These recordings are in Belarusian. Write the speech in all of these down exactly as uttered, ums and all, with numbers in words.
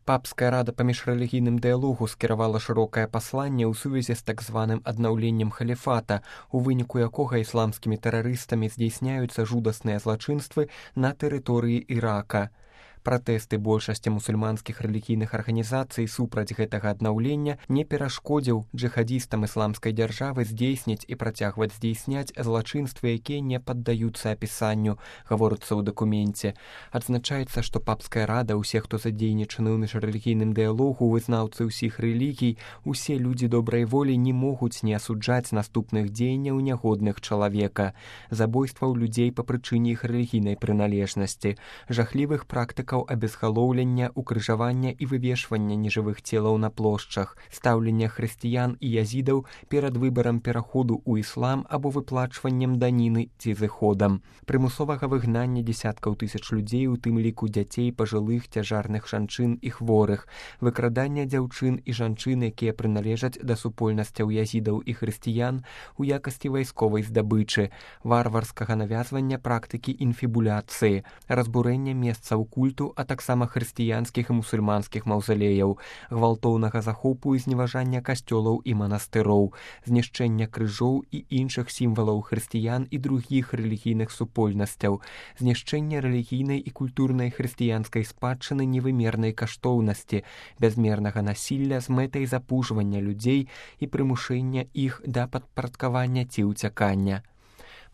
Папская рада па міжрэлігійным дыялогу скіравала шырокае пасланне ў сувязі з так званым аднаўленнем халіфата, у выніку якога ісламскімі тэрарыстамі здзяйсняюцца жудасныя злачынствы на тэрыторыі Ірака. Пратэсты большасці мусульманскіх рэлігійных арганізацый супраць гэтага аднаўлення не перашкодзіў джыхадзістам ісламскай дзяржавы здзейсніць і працягваць здзейсняць злачынствы, якія не паддаюцца апісанню, гаворыцца ў дакуменце. Адзначаецца, што папская рада, усе, хто задзейнічаны ў міжрэлігійным дыялогу, вызнаўцы ўсіх рэлігій, усе людзі добрай волі не могуць не асуджаць наступных дзеянняў нягодных чалавека, забойстваў людзей па прычыне іх рэлігійнай прыналежнасці, жахлівых практыкаў абезгалоўлення, укрыжавання і вывешвання нежывых целаў на плошчах, стаўлення хрысціян і язідаў перад выбарам пераходу ў іслам або выплачваннем даніны ці зыходам, прымусовага выгнання дзесяткаў тысяч людзей, у тым ліку дзяцей, пажылых, цяжарных жанчын і хворых, выкрадання дзяўчын і жанчын, якія прыналежаць да супольнасцяў язідаў і хрысціян у якасці вайсковай здабычы, варварскага навязвання практыкі інфібуляцыі, разбурэння месцаў культу, а таксама хрысціянскіх і мусульманскіх маўзалеяў, гвалтоўнага захопу і зневажання касцёлаў і манастыроў, знішчэння крыжоў і іншых сімвалаў хрысціян і другіх рэлігійных супольнасцяў, знішчэння рэлігійнай і культурнай хрысціянскай спадчыны невымернай каштоўнасці, бязмернага насілля з мэтай запужвання людзей і прымушэння іх да падпарадкавання ці ўцякання.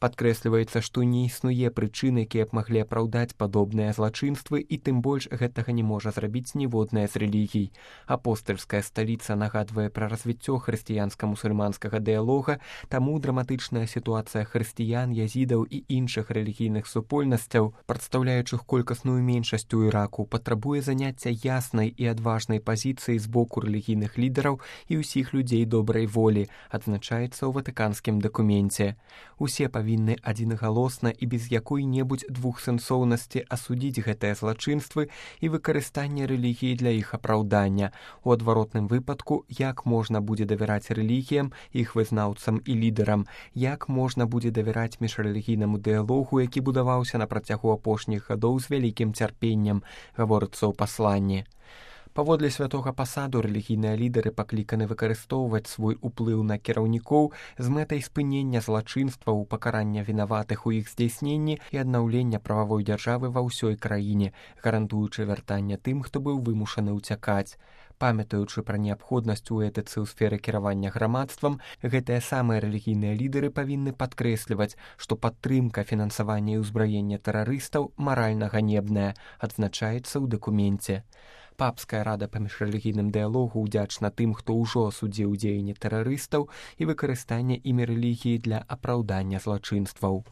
Падкрэсліваецца, што не існуе прычын, якія б маглі апраўдаць падобныя злачынствы, і тым больш гэтага не можа зрабіць ніводная з рэлігій. Апостальская сталіца нагадвае пра развіццё хрысціянска-мусульманскага дыялога, таму драматычная сітуацыя хрысціян, язідаў і іншых рэлігійных супольнасцяў, прадстаўляючых колькасную меншасць у Іраку, патрабуе заняцця яснай і адважнай пазіцыі з боку рэлігійных лідараў і ўсіх людзей добрай волі, адзначаецца ў ватыканскім дакуменце. Усе павінны адзінагалосна і без якой-небудзь двухсэнсоўнасці асудзіць гэтыя злачынствы і выкарыстанне рэлігіі для іх апраўдання. У адваротным выпадку, як можна будзе давяраць рэлігіям, іх вызнаўцам і лідарам, як можна будзе давяраць міжрэлігійнаму дыялогу, які будаваўся на працягу апошніх гадоў з вялікім цярпеннем, гаворыцца ў пасланні. Паводле святога пасаду рэлігійныя лідары пакліканы выкарыстоўваць свой уплыў на кіраўнікоў з мэтай спынення злачынстваў, пакарання вінаватых у іх здзяйсненні і аднаўлення прававой дзяржавы ва ўсёй краіне, гарантуючы вяртанне тым, хто быў вымушаны ўцякаць. Памятаючы пра неабходнасць у этыцы ў сферы кіравання грамадствам, гэтыя самыя рэлігійныя лідары павінны падкрэсліваць, што падтрымка, фінансаванне і ўзбраенне тэрарыстаў маральна ганебная, адзначаецца ў дакуменце. Папская рада па міжрэлігійным дыялогу ўдзячна тым, хто ўжо асудзіў дзеянні тэрарыстаў і выкарыстанне імі рэлігіі для апраўдання злачынстваў.